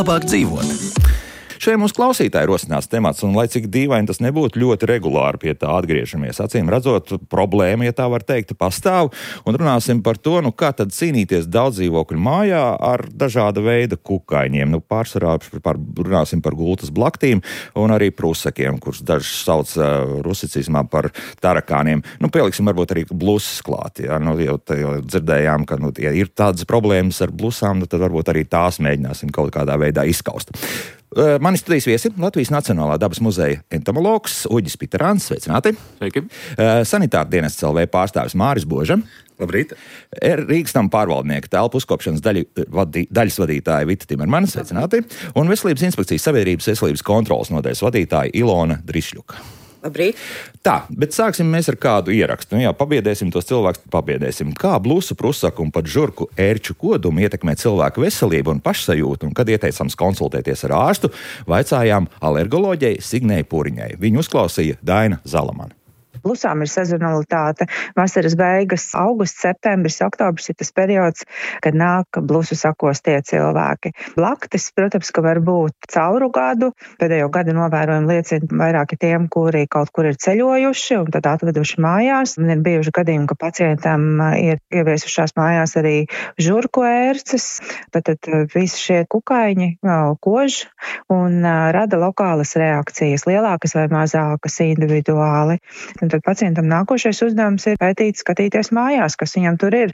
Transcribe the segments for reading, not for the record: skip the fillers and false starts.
labāk dzīvot. Šeit mūsu klausītāji rosināts temats, un lai cik dīvaini tas nebūtu, ļoti regulāri pie tā atgriežamies. Acīm redzot, problēma, ja tā var teikt, pastāv, un runāsim par to, kā tad cīnīties daudzdzīvokļu mājā ar dažāda veida kukaiņiem. Pārsvarā runāsim par gultas blaktīm un arī prusakiem, kurus daži sauc rusicismā par tarakāniem. Pieliksim varbūt arī blusas klāt. Ja? Jau dzirdējām, ka ja ir tādas problēmas ar blusām, tad varbūt arī tās mēģināsim kaut kādā veidā izskaust. Mani studijas viesi Latvijas Nacionālā dabas muzeja entomologs Uģis Piterāns. Sveicināti! Sveiki! Sanitāra dienests LV pārstāvis Māris Boža. Labrīt! Rīgas nama pārvaldnieka telpu uzkopšanas daļas vadītāja Vita Timermana. Sveicināti! Un Veselības inspekcijas sabiedrības veselības kontrolas nodaļas vadītāja Ilona Drišļuka. Labrīt. Tā, bet sāksim mēs ar kādu ierakstu. Pabiedēsim tos cilvēkus, pabiedēsim. Kā blusu, prusaku un pat žurku ērču kodumu ietekmē cilvēku veselību un pašsajūtu, un kad ieteicams konsultēties ar ārstu, vaicājām alergoloģei Signei Puriņai. Viņu uzklausīja Daina Zalamana. Blusām ir sezonalitāte. Vasaras beigas, augusts, septembris, oktobris ir tas periods, kad nāk blusu sakostie cilvēki. Blaktis, protams, ka var būt cauru gadu. Pēdējo gadu novērojumi liecina vairāki tiem, kuri kaut kur ir ceļojuši un tad atveduši mājās. Man ir bijuši gadījumi, ka pacientam ir ieviesušās mājās arī žurku ērces. Tad visi šie kukaiņi kož un rada lokālas reakcijas, lielākas vai mazākas individuāli. Un tad pacientam nākošais uzdevums ir pētīt, skatīties mājās, kas viņam tur ir.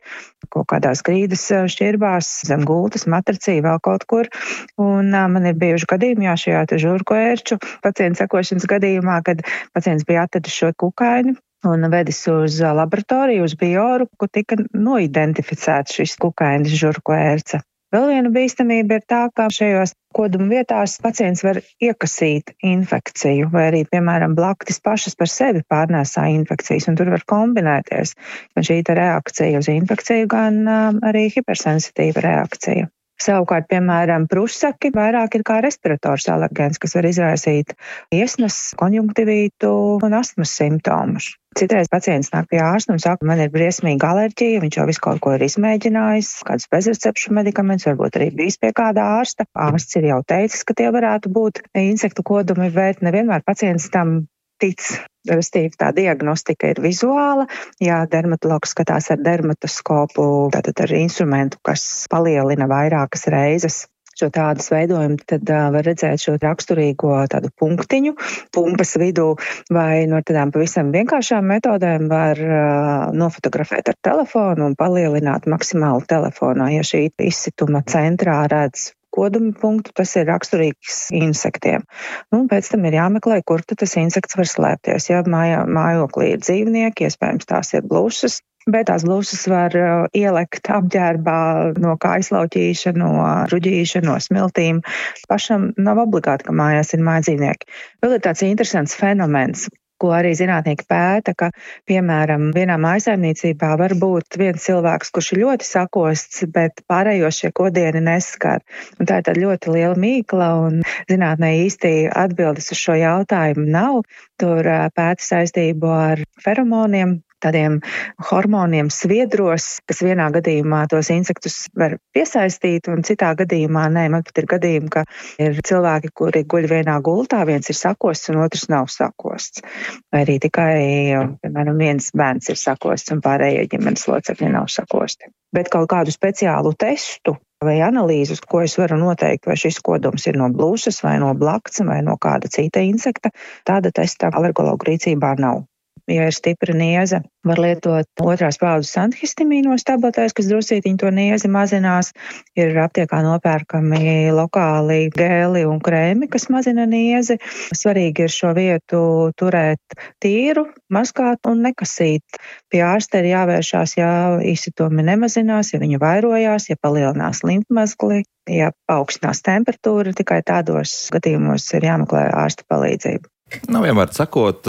Kaut kādās grīdas šķirbās, zem gultas, matracī, vēl kaut kur. Un man ir bijuši gadījumi, šajā žurku ērču pacienta sekošanas gadījumā, kad pacients bija atvedis šo kukaiņu un vedis uz laboratoriju, uz bioru, kur tika noidentificēts šis kukainis žurku ērce. Vēl viena bīstamība ir tā, ka šajos koduma vietās pacients var iekasīt infekciju, vai arī, piemēram, blaktis pašas par sevi pārnēsā infekcijas, un tur var kombinēties gan šī reakcija uz infekciju, gan arī hipersensitīva reakcija. Savukārt, piemēram, prusaki vairāk ir kā respirators alergēns, kas var izraisīt iesnas, konjunktivītu un astmas simptomus. Citreiz pacients nāk pie ārsta un saka, man ir briesmīga alerģija, viņš jau visu kaut ko ir izmēģinājis, kādus bezrecepšu medikamentus, varbūt arī bijis pie kāda ārsta. Ārsts ir jau teicis, ka tie varētu būt insektu kodumi, bet nevienmēr pacients tam tic. Restīvi tā diagnostika ir vizuāla, ja dermatologs skatās ar dermatoskopu, tātad ar instrumentu, kas palielina vairākas reizes šo tādas veidojumu, tad var redzēt šo raksturīgo tādu punktiņu, pumpas vidū, vai no tādām pavisam vienkāršām metodēm var nofotografēt ar telefonu un palielināt maksimāli telefonā, ja šī izsituma centrā redz koduma punktu, tas ir raksturīgs insektiem. Un pēc tam ir jāmeklē, kur tas insekts var slēpties. Ja mājoklī ir dzīvnieki, iespējams tās ir blusas, bet tās blusas var ielekt apģērbā no kaislauķīša, no ruģīša, no smiltīm. Pašam nav obligāti, ka mājās ir mājdzīvnieki. Vēl ir tāds interesants fenomens, ko arī zinātnieki pēta, ka, piemēram, vienā mājsaimniecībā var būt viens cilvēks, kurš ir ļoti sakosts, bet pārējos šie kodieni neskar. Un tā ir tāda ļoti liela mīkla, un zinātnē īsti atbildes uz šo jautājumu nav. Tur pēta saistību ar feromoniem, tādiem hormoniem sviedros, kas vienā gadījumā tos insektus var piesaistīt, un citā gadījumā nē. Man pat ir gadījumi, ka ir cilvēki, kuri guļ vienā gultā, viens ir sakosts un otrs nav sakosts. Vai arī tikai, piemēram, viens bērns ir sakosts un pārējie ģimenes locekļi nav sakosti. Bet kaut kādu speciālu testu vai analīzi, uz ko es varu noteikt, vai šis kodums ir no blusas vai no blakts vai no kāda cita insekta, tāda testa alergologu rīcībā nav. Ja ir stipra nieze, var lietot otrās paudzes antihistamīnos tabletēs, kas drusītiņi to niezi mazinās. Ir aptiekā nopērkami lokāli gēli un krēmi, kas mazina niezi. Svarīgi ir šo vietu turēt tīru, mazgāt un nekasīt. Pie ārsta ir jāvēršās, ja izsitumi nemazinās, ja viņi vairojās, ja palielinās limfmazgli, ja paaugstinās temperatūra. Tikai tādos gadījumos ir jāmeklē ārsta palīdzību. Vienmēr sakot,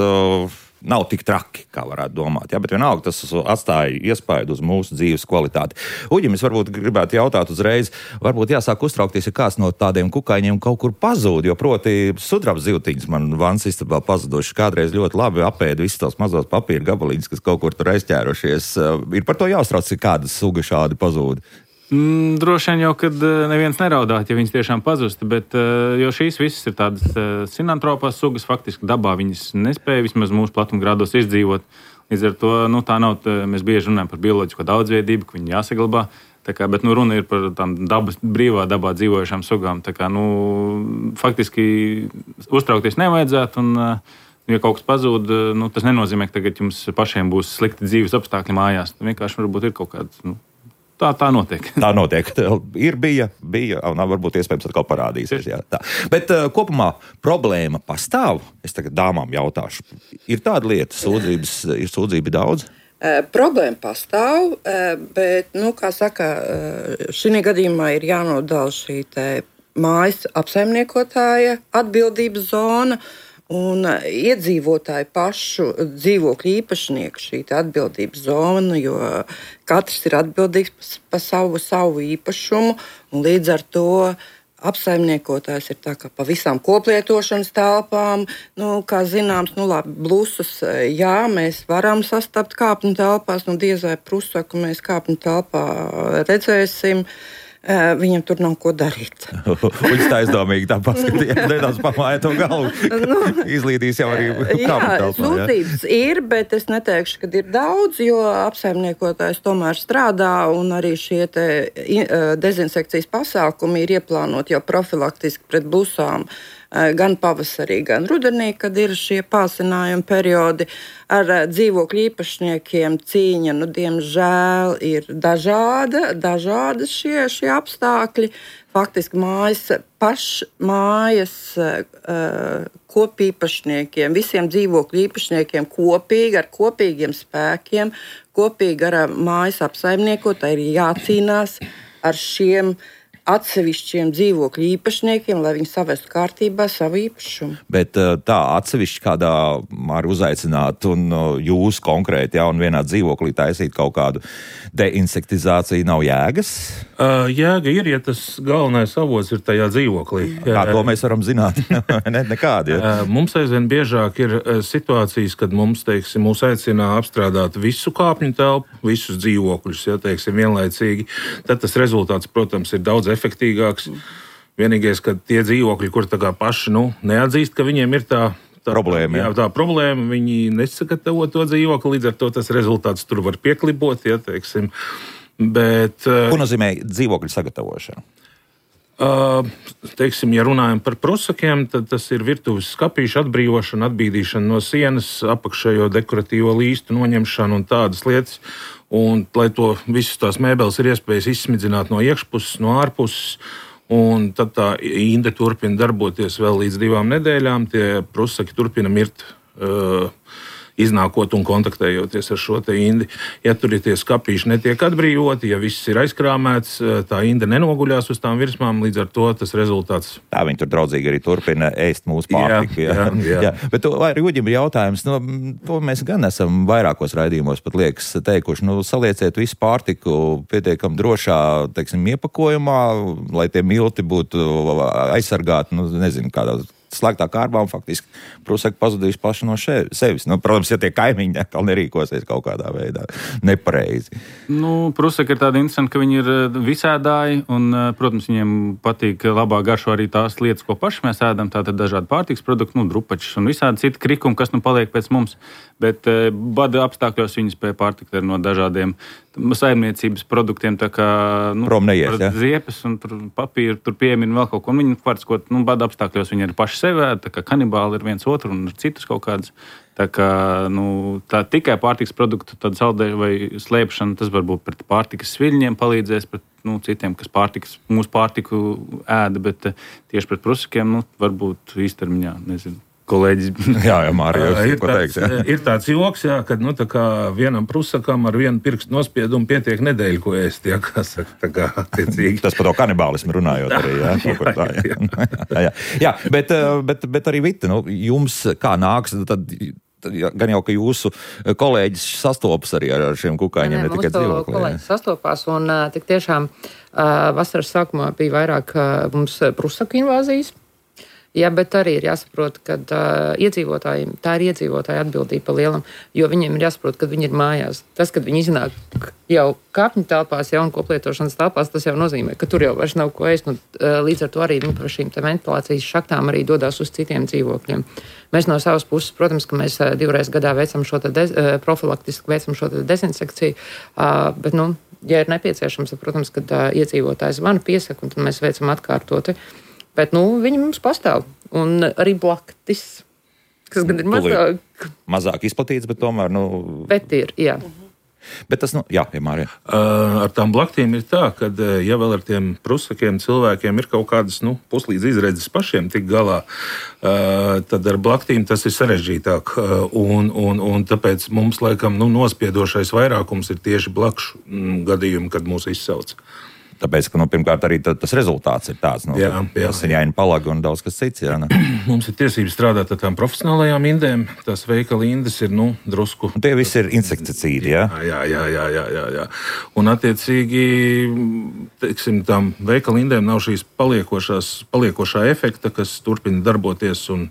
nav tik traki, kā varētu domāt, bet vienalga tas atstāja iespaidu uz mūsu dzīves kvalitāti. Uģim, es varbūt gribētu jautāt uzreiz, varbūt jāsāk uztraukties, ja kāds no tādiem kukaiņiem kaut kur pazūd, jo proti sudraba zivtiņas man vannas istabā pazuduši, kādreiz ļoti labi apēda visus tos mazos papīra gabaliņus, kas kaut kur tur aizķērušies. Ir par to jāuztrauc, ka kāda suga šādi pazūd. Droši vien jau, kad neviens neraudāt, ja viņas tiešām pazusta, bet jo šīs visas ir tādas sinantropās sugas, faktiski dabā viņas nespēja vismaz mūsu platumgrādos izdzīvot. Līdz ar to tā nav, mēs bieži runājam par bioloģisko daudzveidību, ka viņi jāsaglabā. Bet runa ir par tām brīvā dabā dzīvojušām sugām. Faktiski uztraukties nevajadzētu, un, ja kaut kas pazūd, tas nenozīmē, ka tagad jums pašiem būs slikti dzīves apstākļi mājās. Vienkārši varbūt ir kaut kāds. Tā notiek. Tā notiek. Bija, un varbūt iespējams atkal parādīsies. Jā, tā. Bet kopumā problēma pastāv. Es tagad dāmām jautāšu. Ir tāda lieta, ir sūdzība daudz? Problēma pastāv, bet, kā saka, šī gadījumā ir jānodala šī mājas apsaimniekotāja atbildības zona un iedzīvotāju pašu dzīvokļu īpašnieku šī atbildības zona, jo katrs ir atbildīgs par savu īpašumu, un līdz ar to apsaimniekotājs ir tā kā pa visām koplietošanas telpām. Kā zināms, blusus, jā, mēs varam sastapt kāpņu telpās, diez vai prusaku mēs kāpņu telpā redzēsim. Viņam tur nav ko darīt. Viņš tā aizdomīgi tā paskatījās, nedaudz pamāja to galvu. Izlīdīs jau arī kāpņu telpā. Sūdzības ir, bet es neteikšu, ka ir daudz, jo apsaimniekotājs tomēr strādā, un arī šie dezinsekcijas pasākumi ir ieplānoti jau profilaktiski pret blusām. Gan pavasarī, gan rudenī, kad ir šie pāsinājumi periodi. Ar dzīvokļu īpašniekiem cīņa, diemžēl, ir dažādi šie apstākļi. Faktiski mājas kopīpašniekiem, visiem dzīvokļu īpašniekiem kopīgi, ar kopīgiem spēkiem, kopīgi ar mājas apsaimniekotāju ir jācīnās ar šiem atsevišķiem dzīvokļu īpašniekiem, lai viņi savestu kārtībā savu īpašumu. Bet tā atsevišķi kādā var uzaicināt un jūs konkrēti un vienā dzīvoklī taisīt kaut kādu deinsektizāciju nav jēgas? Jēga ir, ja tas galvenais avots ir tajā dzīvoklī. Kā to mēs varam zināt? Nekādi. Ja? Mums aizvien biežāk ir situācijas, kad mūs aicina apstrādāt visu kāpņu telpu, visus dzīvokļus, vienlaicīgi. Tad tas rezultāts, protams, ir daudz efektīgāks. Vienīgais, ka tie dzīvokļi, kur paši neatzīst, ka viņiem ir tā problēma. Jā, tā problēma, viņi nesagatavo to dzīvokli, līdz ar to tas rezultāts tur var pieklibot, Bet, ko nozīmē dzīvokļu sagatavošana? Ja runājam par prusakiem, tad tas ir virtuves skapīšu atbrīvošana, atbīdīšana no sienas, apakšējo dekoratīvo līstu noņemšana un tādas lietas. Un, lai to visas tās mēbeles ir iespējas izsmidzināt no iekšpuses, no ārpuses, un tad tā inde turpina darboties vēl līdz 2 nedēļām. Tie prusaki turpina mirt, iznākot un kontaktējoties ar šo indi. Ja tur ir tie skapīši netiek atbrīvoti, ja viss ir aizkrāmēts, tā inde nenoguļās uz tām virsmām, līdz ar to tas rezultāts. Tā viņi tur draudzīgi arī turpina ēst mūsu pārtiku. Jā. Bet Rūģim ir jautājums, to mēs gan esam vairākos raidījumos pat liekas teikuši, salieciet visu pārtiku pietiekam drošā, iepakojumā, lai tie milti būtu aizsargāti, nezinu, kādā slēgtā kārbā un faktiski prusaki pazudīs paši no sevis. Protams, ja tie kaimiņi atkal nerīkosies kaut kādā veidā nepareizi. Prusaki ir tādi interesanti, ka viņi ir visēdāji un, protams, viņiem patīk labāk garšo arī tās lietas, ko paši mēs ēdam, tātad dažādi pārtikas produkti, drupačs un visādi citi krikumi, kas paliek pēc mums. Bet bada apstākļos viņi spēja pārtikt no dažādiem saimniecības produktiem, tā kā ziepes un papīru, tur piemina vēl kaut ko. Viņi pārtiskot, bada apstākļos viņi arī paši sevi ēd, tā kā kanibāli ir viens otru un citus kaut kādus. Tā kā tā tikai pārtikas produktu saldēšana vai slēpšana, tas varbūt pret pārtikas sviļņiem palīdzēs, pret citiem, kas mūsu pārtiku ēda, bet tieši pret prusakiem, varbūt īstermiņā, nezinu. Kolēģis. Jā, Mārija, ir tāds joks, kad vienam prusakam ar vienu pirkstu nospiedumu pietiek nedēļu, ko ēst. Tas par to kanibālismu runājot arī. Jā, bet arī Vita, jums kā nāks, tad gan jau, ka jūsu kolēģis sastopas arī ar šiem kukaiņiem, ne tikai dzīvoklī. Kolēģis sastopās un tik tiešām vasaras sākumā bija vairāk mums prusaku invāzijas. Jā, bet arī ir jāsaprot, ka iedzīvotājiem tā ir iedzīvotāja atbildība pa lielam, jo viņiem ir jāsaprot, ka viņi ir mājās. Tas, kad viņi iznāk jau kāpņu telpās, un koplietošanas telpās, tas jau nozīmē, ka tur jau vairs nav ko ēst. Līdz ar to arī viņi par šīm ventilācijas šaktām arī dodas uz citiem dzīvokļiem. Mēs no savas puses, protams, ka mēs 2 reizes gadā veicam šo profilaktiski veicam šo dezinsekciju, bet, ja ir nepieciešams, tad, protams, kad iedzīvotājs zvana piesaka, un tad mēs veicam atkārtoti. Bet, viņi mums pastāv. Un arī blaktis, kas gan ir mazāk. Mazāk izplatīts, bet tomēr, Bet ir, jā. Bet tas, jā, Mārija. Ar tām blaktīm ir tā, ka, ja vēl ar tiem prusakiem cilvēkiem ir kaut kādas puslīdz izredzes pašiem tik galā, tad ar blaktīm tas ir sarežģītāk. Un tāpēc mums, laikam, nospiedošais vairākums ir tieši blakšu gadījumi, kad mūs izsauc. Tāpēc, ka, pirmkārt, arī tas rezultāts ir tāds, tas ir jāina palaga un daudz kas cits. Jā, Mums ir tiesības strādāt ar tām profesionālajām indēm. Tās veikala indes ir, drusku. Un tie visi ir insekticīdi, jā? Jā. Un, attiecīgi, teiksim, tām veikala indēm nav šīs paliekošā efekta, kas turpina darboties un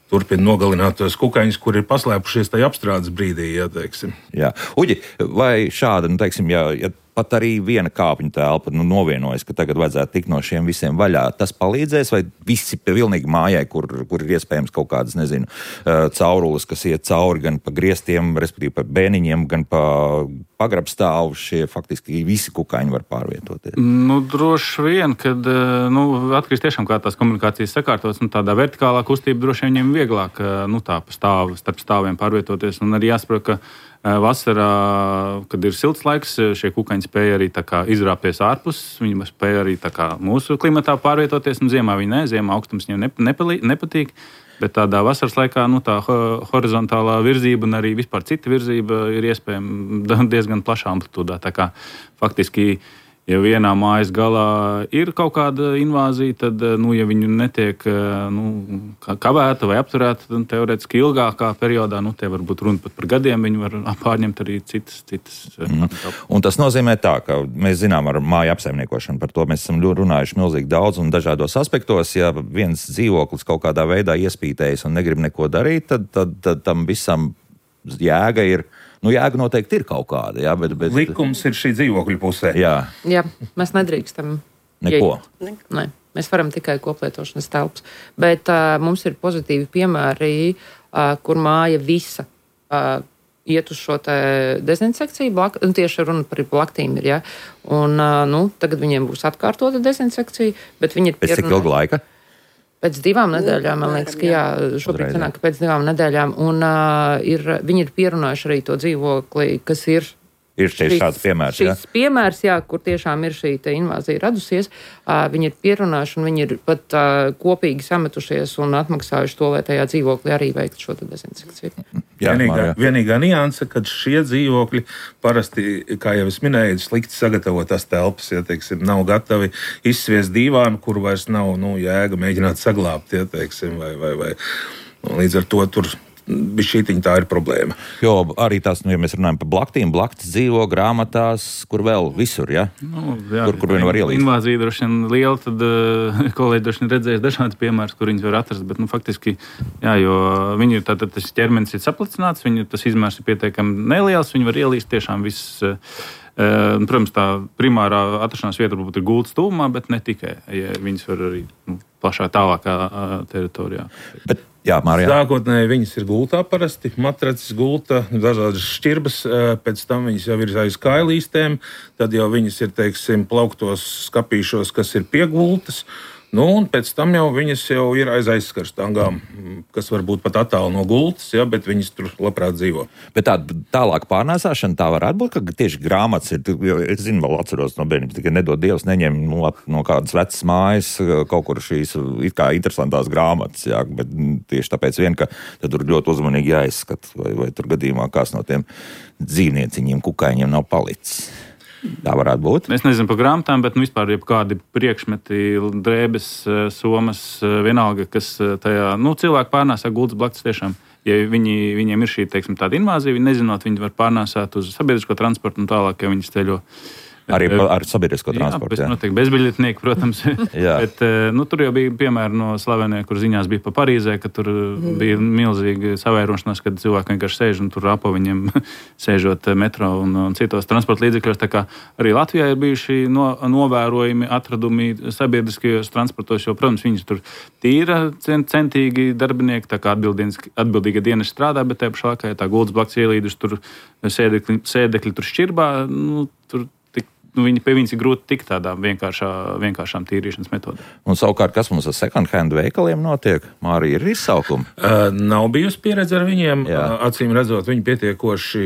turpina nogalināt tos kukaiņus, kur ir paslēpušies tajā apstrādes brīdī, teiksim. Jā. Uģi, vai šāda, teiksim, ja pat arī viena kāpņu telpa novienojas, ka tagad vajadzētu tikt no šiem visiem vaļā, tas palīdzēs, vai visi pilnīgi mājai, kur ir iespējams kaut kādas, caurules, kas iet cauri gan pa griestiem, respektīvi pa bēniņiem, gan pa pagrabstāvu, šie faktiski visi kukaiņi var pārvietoties? Droši vien, kad atkarīgs tiešām kā tās komunikācijas sakārtotas, tādā vertikālā kustība droši vien viņiem vieglāk, tā pa stāvu, starp stāviem pārvietoties, un arī jāsaprot, ka vasarā, kad ir silts laiks, šie kukaiņi spēja arī izrāpties ārpus. Viņi spēja arī mūsu klimatā pārvietoties. Ziemā viņi ziemā augstums viņiem nepatīk. Bet tādā vasaras laikā tā horizontālā virzība un arī vispār cita virzība ir iespējama diezgan plašā amplitūdā. Tā kā faktiski, ja vienā mājas galā ir kaut kāda invāzija, tad, ja viņu netiek kavēta vai apturēta, tad teorētiski ilgākā periodā, te var būt runa pat par gadiem, viņi var pārņemt arī citas. Un tas nozīmē tā, ka mēs zinām ar māju apsaimniekošanu, par to mēs esam runājuši milzīgi daudz un dažādos aspektos. Ja viens dzīvoklis kaut kādā veidā iespītējas un negrib neko darīt, tad tam visam jēga ir. Jēga noteikti ir kaut kāda, jā, bet... Likums ir šī dzīvokļu pusē. Jā, mēs nedrīkstam. Neko. Nē, mēs varam tikai koplietošanas telpas. Bet mums ir pozitīvi piemēri, kur māja visa iet uz šo dezinsekciju. Tieši runa par blaktīm ir, jā. Un tagad viņiem būs atkārtota dezinsekcija, bet viņi ir pēc cik ilga laika? Pēc 2 nedēļām, man liekas, ka šobrīd sanāk, ka pēc 2 nedēļām. Un viņi ir pierunājuši arī to dzīvokli, kas ir. Ir šāds piemērs, šis piemērs, kur tiešām ir šī invāzija radusies. Viņi ir pierunājuši un viņi ir pat kopīgi sametušies un atmaksājuši to, lai tajā dzīvoklī arī veiktu šo dezinsekciju. Vienīgā nianse, kad šie dzīvokļi parasti, kā jau es minēju, slikti sagatavotās telpas, teiksim, nav gatavi izsviest dīvānu, kur vairs nav jēga mēģināt saglābt, teiksim, vai. Līdz ar to tur bišķītiņ tā ir problēma. Jo arī tās, ja mēs runājam par blaktīm, blaktis dzīvo grāmatās, kur vēl visur, ja? Kur vien var ielīst. Invāzija droši vien liela, tad kolēģi droši vien redzēs dažādas piemēras, kur viņas var atrast, bet faktiski, jo viņi ir tātad tas ķermenis ir saplicināts, tas izmērs ir pietiekami neliels, viņi var ielīst tiešām viss. Protams, tā primārā atrašanās vieta varbūt ir gultas tuvumā, bet ne tikai. Ja viņas var arī plašā tālākā teritorijā. Bet, jā, Mārija. Sākotnēji viņas ir gultā parasti, matracis gulta, dažādas šķirbas, pēc tam viņas jau ir aiz kailīstēm, tad jau viņas ir, teiksim, plauktos skapīšos, kas ir pie gultas. Un pēc tam jau viņas jau ir aiz aizskarstangām, kas varbūt pat attāli no gultas, bet viņas tur labprāt dzīvo. Bet tālāk pārnēsāšana tā varētu būt, ka tieši grāmatas ir, jo es zinu, vēl atceros no bērnības, tikai nedod Dievs neņem no kādas vecas mājas kaut kur šīs it kā interesantās grāmatas, bet tieši tāpēc vien, ka tad tur ļoti uzmanīgi jāizskat, vai tur gadījumā kāds no tiem dzīvnieciņiem, kukaiņiem nav palicis. Tā varētu būt. Mēs nezinām par grāmatām, bet vispār kādi priekšmeti, drēbes, somas, vienalga, kas tajā cilvēki pārnēsā gultas blaktis tiešām. Ja viņiem ir šī, teiksim, tāda invāzija, viņi nezinot, viņi var pārnēsāt uz sabiedrisko transportu un tālāk, ja viņi ceļo Arī ar sabiedrisko transportu. Jā, noteikti bezbiļetnieki, protams. Bet, tur jau bija piemēri no Slovenijā, kur ziņās bija pa Parīzē, ka tur bija milzīga savairošanās, kad cilvēki vienkārši sēž un tur apo viņiem sēžot metro un citos transporta līdzekļos. Tā kā arī Latvijā ir bijuši novērojumi atradumi sabiedriskajos transportos, jo, protams, viņi tur tīra centīgi darbinieki, tā kā atbildīga dienas strādā, bet tajā pašā laikā, ja tā gultas blakus ielīduši, tur sēdekļi tur šķirbā, viņi pie viņas ir grūti tikt tādām vienkāršām tīrīšanas metodēm. Un savukārt, kas mums ar second hand veikaliem notiek? Mārija, ir izsaukumi? Nav bijusi pieredze ar viņiem. Acīm redzot, viņi pietiekoši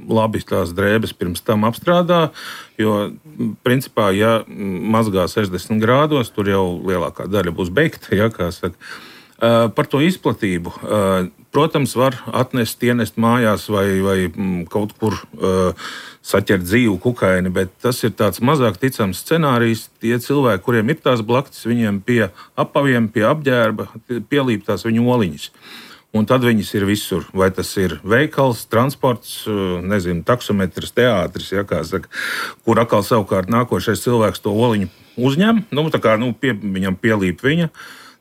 labi tās drēbes pirms tam apstrādā, jo, principā, ja mazgā 60 grādos, tur jau lielākā daļa būs beigta, kā saka. Par to izplatību. Protams, var ienest mājās vai kaut kur saķert dzīvu kukaini, bet tas ir tāds mazāk ticams scenārijs. Tie cilvēki, kuriem ir tās blaktis, viņiem pie apaviem, pie apģērba pielīp tās viņu oliņas. Un tad viņas ir visur. Vai tas ir veikals, transports, taksometrs, teātris, kā saka, kur atkal savukārt nākošais cilvēks to oliņu uzņem, viņam pielīp viņa.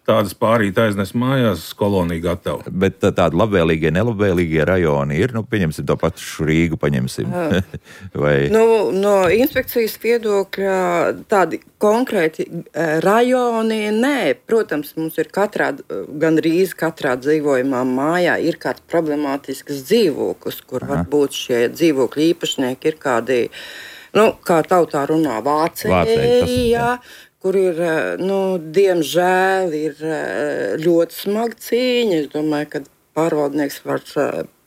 Tādas pārīt aiznes mājās, kolonija gatava. Bet tādi labvēlīgie, nelabvēlīgie rajoni ir, pieņemsim to pašu Rīgu, paņemsim. Vai... No inspekcijas viedokļa tādi konkrēti rajoni, nē. Protams, mums ir gandrīz katrā dzīvojumā mājā ir kāds problemātisks dzīvoklis, kur varbūt šie dzīvokļu īpašnieki ir kādi, kā tautā runā, vācēji, kur ir, diemžēl, ir ļoti smaga cīņa. Es domāju, ka pārvaldnieks var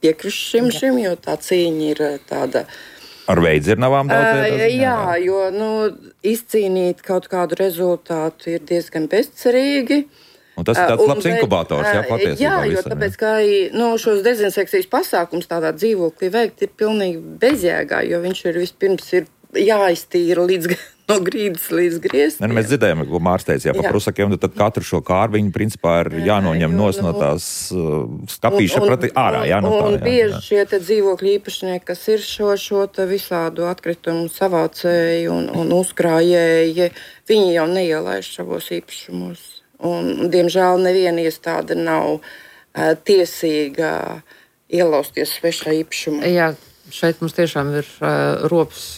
piekrist šim, jo tā cīņa ir tāda. Ar veidzirnavām daudz? Jā, jo izcīnīt kaut kādu rezultātu ir diezgan bezcerīgi. Un tas ir tāds labs inkubators, patiesībā. Jā, jo tāpēc, ka šos dezinsekcijas pasākums tādā dzīvoklī veikt ir pilnīgi bezjēgā, jo viņš ir vispirms jāiztīra no grīdas līdz griestiem. Mēs dzirdējām, ko Mārs teica, par prusakiem, tad katru šo kārviņu principā ir jānoņem no tās skapīša prati ārā. Un bieži šie dzīvokļu īpašnieki, kas ir šo visādu atkritumu savācēji un uzkrājēji, viņi jau neielaiž savos īpašumos. Un, diemžēl, neviena iestāde nav tiesīga ielausties svešā īpašumā. Jā, šeit mums tiešām ir rops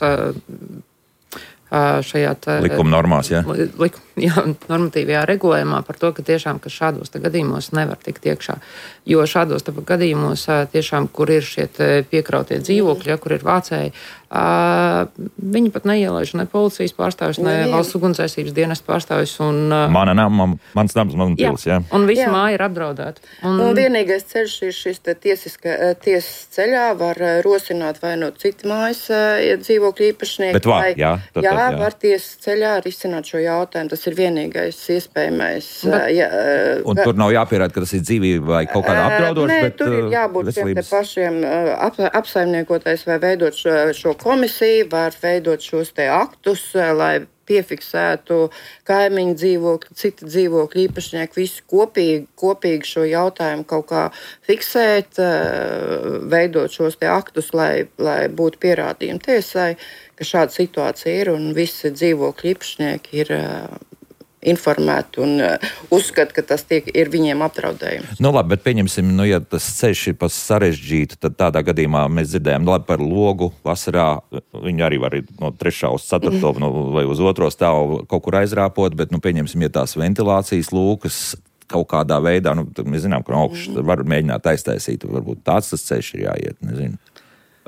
šajā likuma normās, normatīvajā regulējumā par to, ka tiešām ka šādos gadījumos nevar tikt iekšā. Jo šādos gadījumos tiešām, kur ir šie piekrautie dzīvokļi, kur ir vācēji, viņi pat neielaiž ne policijas pārstāvis, ne valsts ugunsdzēsības dienesta pārstāvis. Mans nams, man pils, Un visa māja ir apdraudēta. Un vienīgais ceļš ir šis tiesas ceļā, var rosināt vai no citu mājas dzīvokļu īpašnieki. Bet var tiesas ceļā risināt šo jautājumu. Tas ir vienīgais iespējamais. Un tur nav jāpierāda, ka tas ir dzīvība vai kaut kāda apdraudoša, bet tur ir jābūt šiem pašiem apsaimniekotais vai veidot šo komisiju, var veidot šos aktus, lai piefiksētu kaimiņu dzīvokļu, citi dzīvokļu īpašnieki, visi kopīgi šo jautājumu kaut kā fiksēt, veidot šos aktus, lai būtu pierādījumi tiesai, ka šāda situācija ir un visi dzīvokļu īpašnieki ir informēti un uzskata, ka tas ir viņiem apdraudējums. Labi, bet pieņemsim, ja tas ceļš ir pas sarežģītu, tad tādā gadījumā mēs dzirdējām par logu vasarā. Viņi arī var no 3. uz 4. vai uz 2. stāvu kaut kur aizrāpot, bet, pieņemsim, ja tās ventilācijas lūkas kaut kādā veidā, mēs zinām, ka no augšas var mēģināt aiztaisīt, varbūt tāds tas ceļš ir jāiet, nezinu.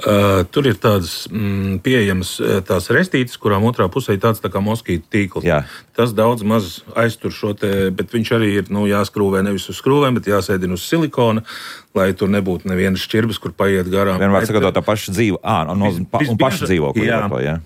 Tur ir tādas pieejamas tās restītes, kurām otrā pusē ir tāds tā kā moskītu tīkls. Jā. Tas daudz maz aiztur šo bet viņš arī ir jāskrūvē nevis uz skrūvēm, bet jāsēdina uz silikona, lai tur nebūtu nevienas šķirbas, kur paiet garām. Vienmēr sakot, tā paša dzīvo, un paša dzīvokļi.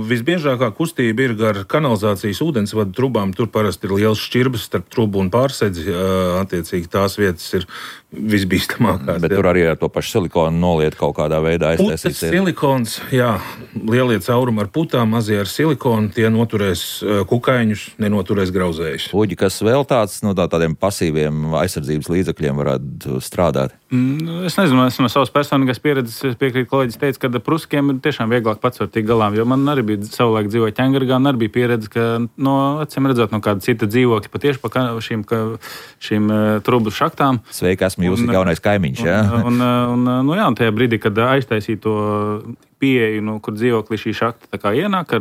Visbiežākā kustība ir gar kanalizācijas ūdensvadu trubām. Tur parasti ir liels šķirbas starp trubu un pārsedzi. Attiecīgi tās vietas ir visbīstamākās. Bet tur arī ar to pašu silikonu noliet kaut kādā veidā aiztaisīt. Silikons, jā, lielie caurumi ar putām, mazie ar silikonu, tie noturēs kukaiņus, nenoturēs grauzējus. Uģi, kas vēl tāds no tādiem pasīviem aizsardzības līdzekļiem varētu strādāt? Es nezinu, es no savas personīgās pieredzes piekrītu, kolēģis teica, ka pruskiem ir tiešām vieglāk pats var tikt galā, jo man arī bija savulaik dzīvoja ķengargā, un arī bija pieredze, ka acīm redzot no kāda cita dzīvokļa, patieši pa šīm trublu šaktām. Sveiki, esmu jūsu jaunais kaimiņš, jā? Un tajā brīdī, kad aiztaisīja to pieeju, kur dzīvoklī šī šakta tā kā ienāk,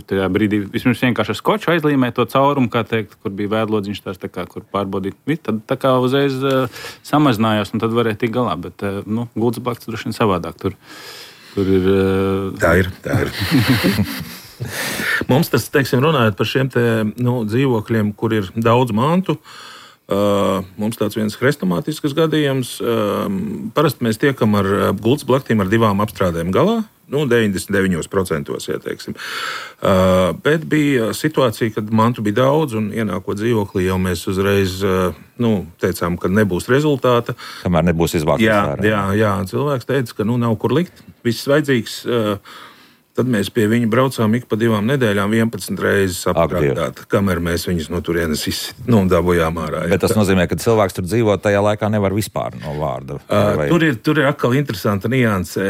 tajā brīdī vismaz vienkārši ar skoču aizlīmē to caurumu, kā teikt, kur bija vēdlodziņš tās, tā kā, kur pārbaudīt. Tad tā kā uzreiz samazinājās, un tad varēja tikt galā, bet gultas blakts droši vien savādāk. Tur ir... Tā ir. Mums tas, teiksim, runājot par šiem dzīvokļiem, kur ir daudz mantu, mums tāds viens hrestomātisks gadījums. Parasti mēs tiekam ar gultas blaktīm ar 2 apstrādēm galā, 99%, ja teiksim. Bet bija situācija, kad mantu bija daudz, un ienākot dzīvoklī jau mēs uzreiz teicām, ka nebūs rezultāta. Kamēr nebūs izvāktas. Jā, cilvēks teica, ka nav kur likt, viss vajadzīgs. Tad mēs pie viņa braucām ik pa 2 nedēļām 11 reizes apstrādāt, kamēr mēs viņus no turienes dabūjām ārā. Bet tas nozīmē, ka cilvēks tur dzīvo tajā laikā nevar vispār no vārda. Tur ir atkal interesanta nianse.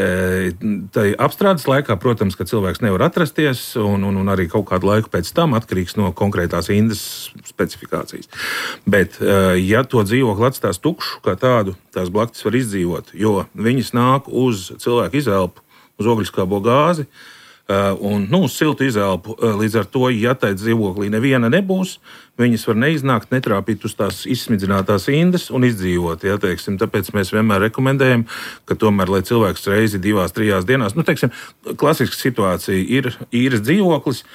Tai apstrādes laikā, protams, ka cilvēks nevar atrasties, un arī kaut kādu laiku pēc tam atkarīgs no konkrētās indes specifikācijas. Bet, ja to dzīvokli atstās tukšu kā tādu, tās blaktis var izdzīvot, jo viņas nāk uz cilvēku izelpu, uz ogļskābo gāzi un uz siltu izelpu. Līdz ar to, ja tai dzīvoklī neviena nebūs, viņas var neiznākt, netrāpīt uz tās izsmidzinātās indes un izdzīvot. Ja, teiksim, tāpēc mēs vienmēr rekomendējam, ka tomēr, lai cilvēks reizi 2-3 dienās, klasiska situācija ir īres dzīvoklis,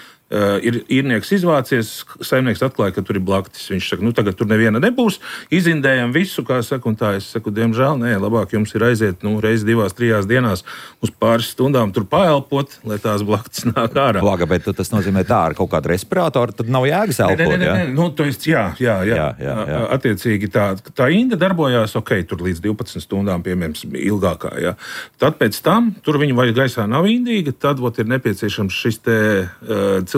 ir īrnieks izvācies, saimnieks atklāja, ka tur ir blaktis. Viņš saka, tagad tur neviena nebūs, izindējam visu, kā saka, un tā. Es saku, diemžēl, nē, labāk jums ir aiziet, reizi 2-3 dienās uz pāris stundām tur paelpot, lai tās blaktis nāk ārā. Laga, bet tas nozīmē tā ar kaut kādu respiratoru, tad nav jēgas elpot, jā. Attiecīgi tā inde darbojās, tur līdz 12 stundām, piemēram, ilgākā, jā. Tad pēc tam, tur viņa vai gaisā nav indīga, tad ir nepieciešams šis te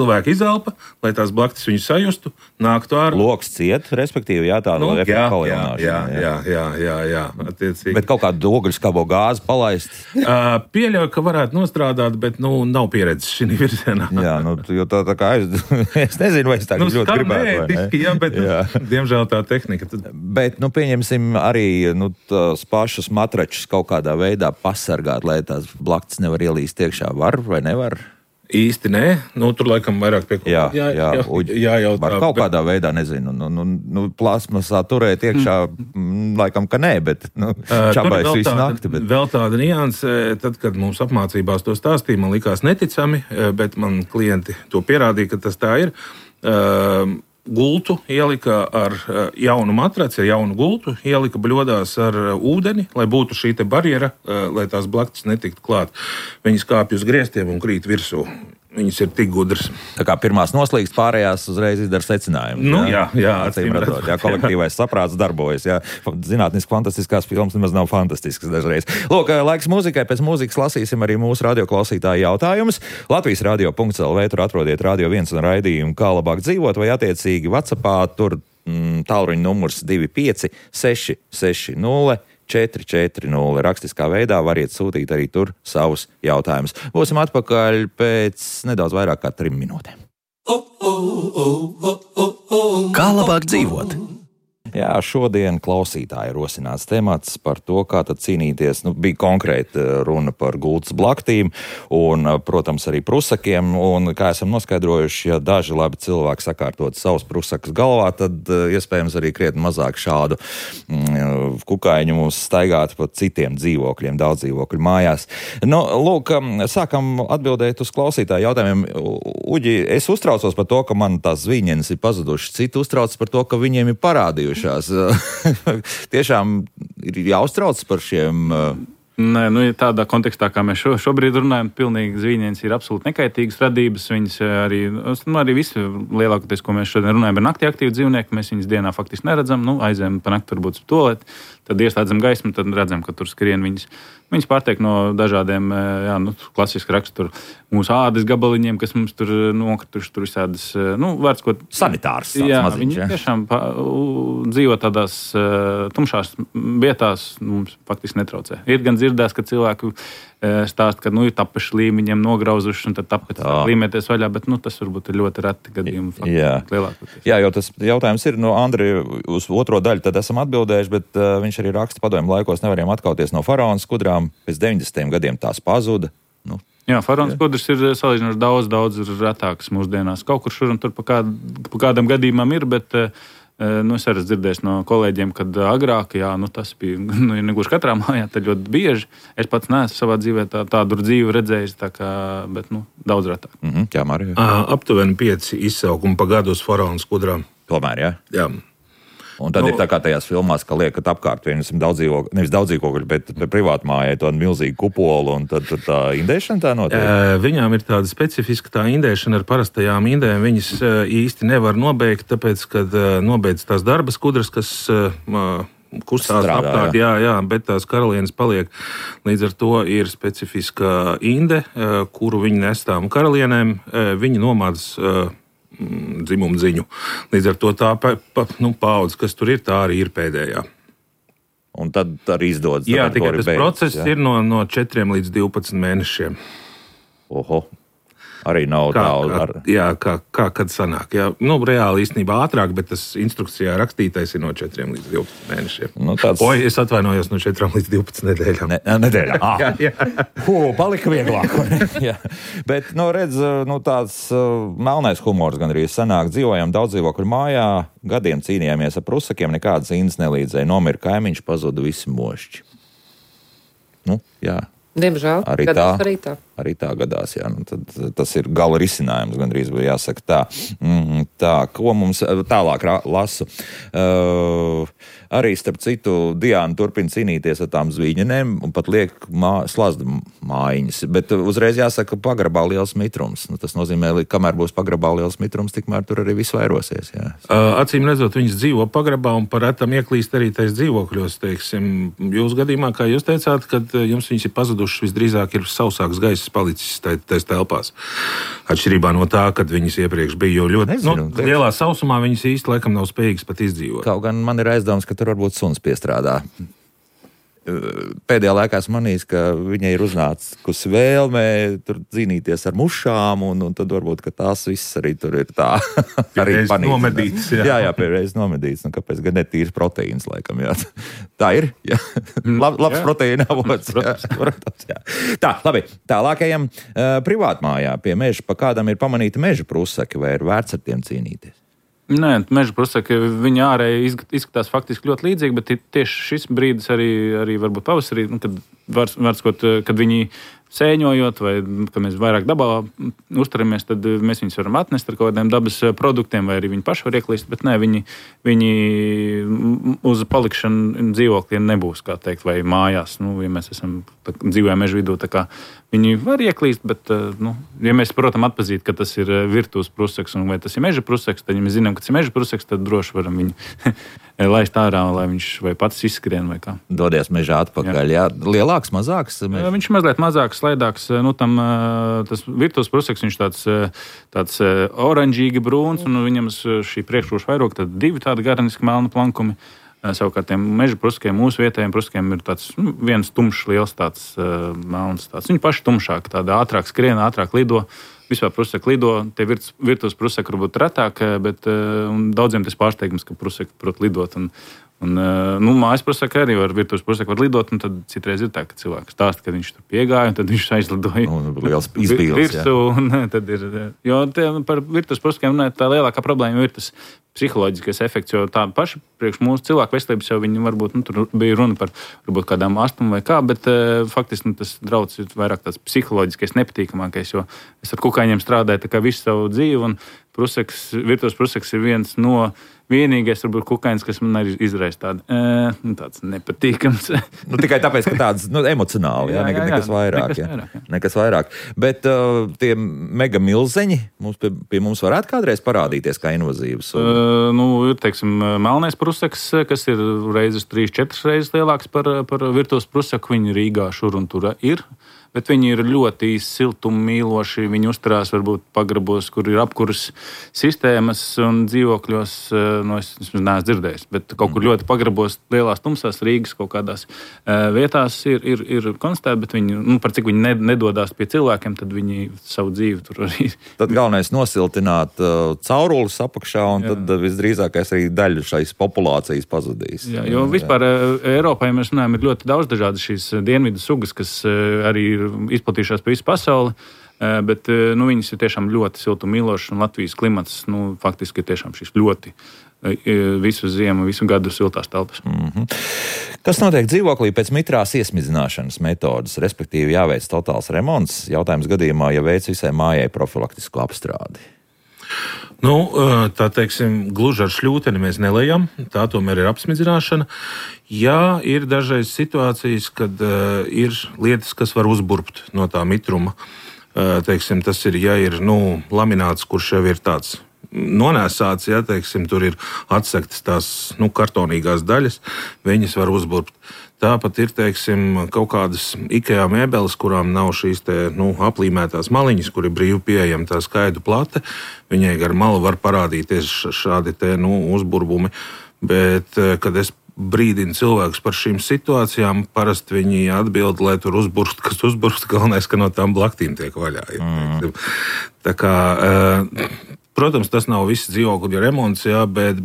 cilvēka izelpa, lai tās blaktis viņu sajustu, nāktu ārā. Loks ciet, respektīvi, tāda efekta palielināšana. Jā. Attiecīgi. Bet kaut kādu ogļskābo gāzi palaist? Pieļauju, ka varētu nostrādāt, bet nav pieredzes šī virzienā. Jā, jo tā kā es nezinu, vai es tā ļoti gribētu. Bet diemžēl tā tehnika. Bet, pieņemsim arī tās pašas matračus kaut kādā veidā pasargāt, lai tās blaktis nevar ielīst iekšā. Var vai nevar? Īsti nē, tur laikam vairāk pie kaut kā. Jā, var kaut kādā veidā, nezinu, plasmasā turēt iekšā, laikam, ka nē, bet čabais visu nakti. Vēl tāda nianse, tad, kad mums apmācībās to stāstīja, man likās neticami, bet man klienti to pierādīja, ka tas tā ir. Gultu ielika ar jaunu matraci, ar jaunu gultu, ielika bļodās ar ūdeni, lai būtu šī te barjera, lai tās blaktis netiktu klāt. Viņas kāpj uz griestiem un krīt virsū. Viņas ir tik gudras. Tā kā pirmās noslīgst, pārējās uzreiz izdara secinājumus. Jā, acīm redzot. Kolektīvais saprāts darbojas. Jā. Zinātniski fantastiskās filmas nemaz nav fantastiskas dažreiz. Lūk, laiks mūzikai. Pēc mūzikas lasīsim arī mūsu radioklausītāju jautājumus. Latvijas radio.lv tur atrodiet Radio 1 un raidījumu Kā labāk dzīvot, vai attiecīgi WhatsAppā tur tālruņa numurs 25 660 440. Rakstiskā veidā variet sūtīt arī tur savus jautājumus. Būsim atpakaļ pēc nedaudz vairāk kā 3 minūtēm. Kā labāk dzīvot? Jā, šodien klausītāji rosināts temats par to, kā tad cīnīties. Bija konkrēti runa par gultas blaktīm un, protams, arī prusakiem. Un, kā esam noskaidrojuši, ja daži labi cilvēki sakārtot savus prusakus galvā, tad iespējams arī krietni mazāk šādu kukaiņu mums staigāt pa citiem dzīvokļiem, daudz dzīvokļu mājās. Lūk, sākam atbildēt uz klausītāju jautājumiem. Uģi, es uztraucos par to, ka man tās zviņenes ir pazudušas. Citi uztraucas par to, ka viņiem ir parādījuši. Tiešām ir jāuztrauc par šiem Nē, tādā kontekstā, kā mēs šobrīd runājam, pilnīgi zvīņienes ir absolūti nekaitīgas radības. Viņas arī visi lielākoties, ko mēs šodien runājam, ir naktī aktīvi dzīvnieki. Mēs viņus dienā faktiski neredzam. Aizējam pa nakti varbūt uz tualeti, tad ieslēdzam gaismu, tad redzam, ka tur skrien viņas. Viņas pārtiek no dažādiem klasiski raksturu mūsu ādas gabaliņiem, kas mums tur nokrituši, tur visādas, vārds, ko... Sanitārs. Jā, viņi tiešām dzīvo tādās tumšās vietās, mums faktiski netraucē. Ir gan dzirdēts, ka cilvēku stāst, ka ir tapuši līmeņiem nograuzuši un tad tāpēc līmēties vaļā, bet tas varbūt ir ļoti reti gadījumi. Jā, jo tas jautājums ir, Andri, uz otro daļu tad esam atbildējuši, bet viņš arī raksta padomju laikos nevarējām atkauties no faraona skudrām, pēc 90. gadiem tās pazuda. Jā, faraona skudras ir salīdzinoši daudz retākas mūsdienās. Kaut kur šur un tur pa kādam gadījumam ir, bet es arī dzirdēju no kolēģiem, kad agrāk, tas bija, negluži katrā mājā, tad ļoti bieži. Es pats neesmu savā dzīvē tādu dzīvi redzējis, bet daudz retāk. Jā, Marija. Aptuveni 5 izsaukumi pa gadu uz faraona skudrām. Tomēr, jā? Jā. Un tad ir tā kā tajās filmās, ka liekat apkārt nevis daudzdzīvokļu, bet privātu mājai to milzīgu kupolu, un tad tā indēšana tā notiek? Viņām ir tāda specifiska tā indēšana ar parastajām indēm. Viņas īsti nevar nobeigt, tāpēc, kad nobeidz tās darba skudras, kas kustās apkārt, jā, bet tās karalienes paliek. Līdz ar to ir specifiska inde, kuru viņi nes tām karalienēm. Viņi nomādas dzimumu ziņu. Līdz ar to tā paudze, kas tur ir, tā arī ir pēdējā. Un tad arī izdodas. Jā, tikai tas process ir no 4 līdz 12 mēnešiem. Oho. Arī nav daudz. Jā, kad sanāk. Jā, reāli īstenībā ātrāk, bet tas instrukcijā rakstītais ir no 4 līdz 12 mēnešiem. Es atvainojos no 4 līdz 12 nedēļām. Nedēļām. Jā. Palika vieglāk. Jā. Bet, redz, tāds melnais humors gan arī sanāk. Dzīvojam daudzdzīvokļu mājā, gadiem cīnījāmies ar prusakiem, nekādas indas nelīdzēja. Nomira kaimiņš, pazuda visi mošķi. Jā. Diemžēl, gadās arī tā gadās, jā. Tad tas ir gala risinājums, gandrīz jāsaka tā. Tā, ko mums tālāk lasu. Arī, starp citu, Diana turpina cīnīties ar tām zvīņenēm un pat liek slazdu mājiņas. Bet uzreiz jāsaka, pagrabā liels mitrums. Tas nozīmē, ka kamēr būs pagrabā liels mitrums, tikmēr tur arī viss vairosies. Jā. Acīm redzot, viņas dzīvo pagrabā un par retam ieklīst arī tais dzīvokļos, teiksim. Jūsu gadījumā, kā jūs teicāt, kad jums viņas ir pazudušas, visdrīzāk ir sausāks gaiss palicis tais telpās. Atšķirībā no tā, kad viņas iepriekš bija, jo ļoti lielā sausumā viņas īsti laikam nav spējīgas pat izdzīvot. Kaut gan man ir aizdoms, ka tur varbūt suns piestrādā. Pēdējā laikā esmu manījis, ka viņai ir uznākusi vēlme tur cīnīties ar mušām, un tad varbūt, ka tās viss arī tur ir tā. Arī nomedīts. Jā, pēdējais nomedīts. Kāpēc gan ne tīrs proteīns, laikam, jā. Tā ir? Jā. Labs proteīna avots. Protams, jā. Tā, labi. Tālākajam privātmājā pie meža pa kādam ir pamanīti meža prusaki, vai ir vērts ar tiem cīnīties? Nē, meža prusaki, viņi ārēji izskatās faktiski ļoti līdzīgi, bet tieši šis brīdis arī varbūt pavasarī, kad viņi sēņojot, vai ka mēs vairāk dabā uzturamies, tad mēs viņus varam atnest ar kaut kādiem dabas produktiem, vai arī viņi paši var ieklīst, bet nē, viņi uz palikšanu dzīvoklī nebūs, kā teikt, vai mājās. Ja mēs dzīvojam meža vidū, tā kā viņi var ieklīst, bet, ja mēs, protams, atpazīt, ka tas ir virtuves prusaks un vai tas ir meža prusaks, tad, ja mēs zinām, ka tas ir meža prusaks, tad droši varam viņu laist ārā, lai viņš vai pats izskrien vai kā. Dodies mežā atpakaļ, jā. Lielāks, mazāks? Viņš mazliet mazāks, slaidāks. Tas virtuves prusaks, viņš tāds oranžīgi brūns, un viņam šī priekšroša vairoga, tad 2 tādi garniski melni plankumi. Savukārt tiem meža pruskiem, mūsu vietējiem pruskiem ir tāds viens tumšs, liels tāds melns. Viņi paši tumšāk, tāda ātrāk skrien, ātrāk lido. Vispār prusaki lido, tie virtuves prusaki varbūt retāk, bet daudziem tas pārsteigums, ka prusaki prot lidot. Mājas prusaki arī var, virtuves prusaki var lidot, un tad citreiz ir tā, ka cilvēks stāsta, ka viņš tur piegāja, un tad viņš aizlidoja. Liels izbīles, jā. Tad ir, jo par virtuves prusakiem tā lielākā problēma ir tas psiholoģiskais efekts, jo tā paša priekš mūsu cilvēku veselības jau viņi varbūt, tur bija runa par varbūt kādām astmu vai kā, bet faktiski tas drauds ir vairāk tāds psiholoģiskais, nepatīkamākais, jo es ar kukaiņiem strādāju tā kā visu savu dzīvi, un virtuves prusaks ir viens no vienīgais, varbūt, kukainis, kas man arī izraisa tāds nepatīkams. Tikai tāpēc, ka tāds emocionāli, nekas vairāk. Nekas vairāk. Bet tie mega milzeņi pie mums varētu kādreiz parādīties kā invazīvas? Ir, teiksim, melnais prusaks, kas ir reizes 3-4 reizes lielāks par virtuves prusaku. Viņi Rīgā šur un tur ir. Bet viņi ir ļoti siltummīloši. Viņi uzturās varbūt pagrabos, kur ir apkuras sistēmas un dzīvokļos. Es neesmu dzirdējis, bet kaut kur ļoti pagrabos, lielās tumsās Rīgas kaut kādās vietās ir konstatēti, bet viņi, par cik viņi nedodās pie cilvēkiem, tad viņi savu dzīvi tur arī. Tad galvenais nosiltināt caurules apakšā, un tad visdrīzākais arī daļa šais populācijas pazudīs. Jā, jo vispār Eiropā, ja mēs runājam, ir ļoti daudz dažādas šīs dienvidu sugas, kas arī ir izplatījušās pa visu pasauli, bet viņas ir tiešām ļoti siltummīlošas, un Latvijas klimats faktiski ir tiešām šis ļoti visu ziemu, visu gadu siltās telpas. Kas notiek dzīvoklī pēc mitrās iesmidzināšanas metodas, respektīvi jāveic totāls remonts? Jautājums gadījumā, ja veic visai mājai profilaktisku apstrādi. Tā teiksim, gluži ar šļūteni mēs nelejam, tā tomēr ir apsmidzināšana. Jā, ir dažreiz situācijas, kad ir lietas, kas var uzburbt no tā mitruma. Teiksim, tas ir, ja ir lamināts, kurš jau ir tāds nonēsāts, ja, teiksim, tur ir atsektas tās kartonīgās daļas, viņas var uzburbt. Tāpat ir, teiksim, kaut kādas IKEA mēbeles, kurām nav šīs aplīmētās maliņas, kur ir brīvi pieejama tā skaidu plate. Viņai gar malu var parādīties šādi uzburbumi, bet, kad es brīdinu cilvēkus par šīm situācijām, parasti viņi atbild, lai tur uzburst, kas uzburst, galvenais, ka no tām blaktīm tiek vaļā. Tā kā... Protams, tas nav viss dzīvokļu remonts, jā, bet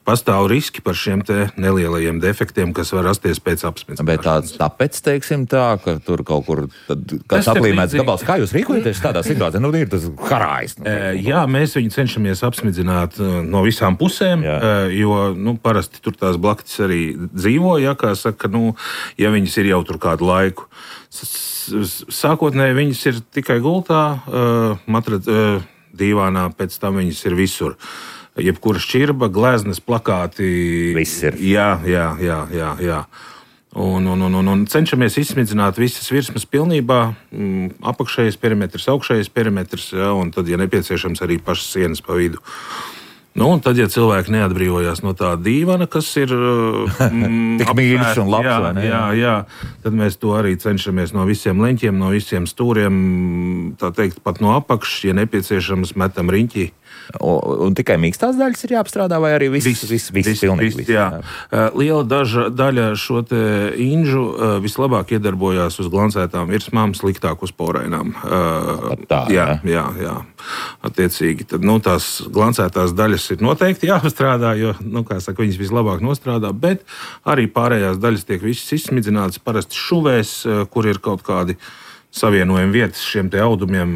pastāv riski par šiem te nelielajiem defektiem, kas var rasties pēc apsmidzināšanas. Bet tāpēc, teiksim tā, ka tur kaut kur kāds aplīmēts gabals. Kā jūs rīkojaties tādā situācijā? Ir tas karājs. Jā, mēs viņu cenšamies apsmidzināt no visām pusēm, jo parasti tur tās blaktis arī dzīvo, ja, kā saka, ja viņas ir jau tur kādu laiku. Sākotnēji viņas ir tikai gultā, dīvānā, pēc tam viņas ir visur. Jebkura šķirba, gleznas, plakāti. Viss ir. Jā. Un cenšamies izsmidzināt visas virsmas pilnībā, apakšējais perimetrs, augšējais perimetrs, ja, un tad, ja nepieciešams, arī pašas sienas pa vidu. Un tad, ja cilvēki neatbrīvojās no tā dīvana, kas ir tik mīļš un labs, vai ne? Jā, tad mēs to arī cenšamies no visiem leņķiem, no visiem stūriem, tā teikt, pat no apakšas, ja nepieciešams, metam riņķī. Un tikai mīkstās daļas ir jāapstrādā, vai arī viss pilnīgi? Jā. Liela daļa šo te inžu vislabāk iedarbojās uz glancētām virsmām, sliktāk uz porainām. Jā. Attiecīgi, tad tās glancētās daļas ir noteikti jāapstrādā, jo, viņas vislabāk nostrādā, bet arī pārējās daļas tiek visas izsmidzinātas, parasti šuvēs, kur ir kaut kādi savienojuma vietas šiem te audumiem.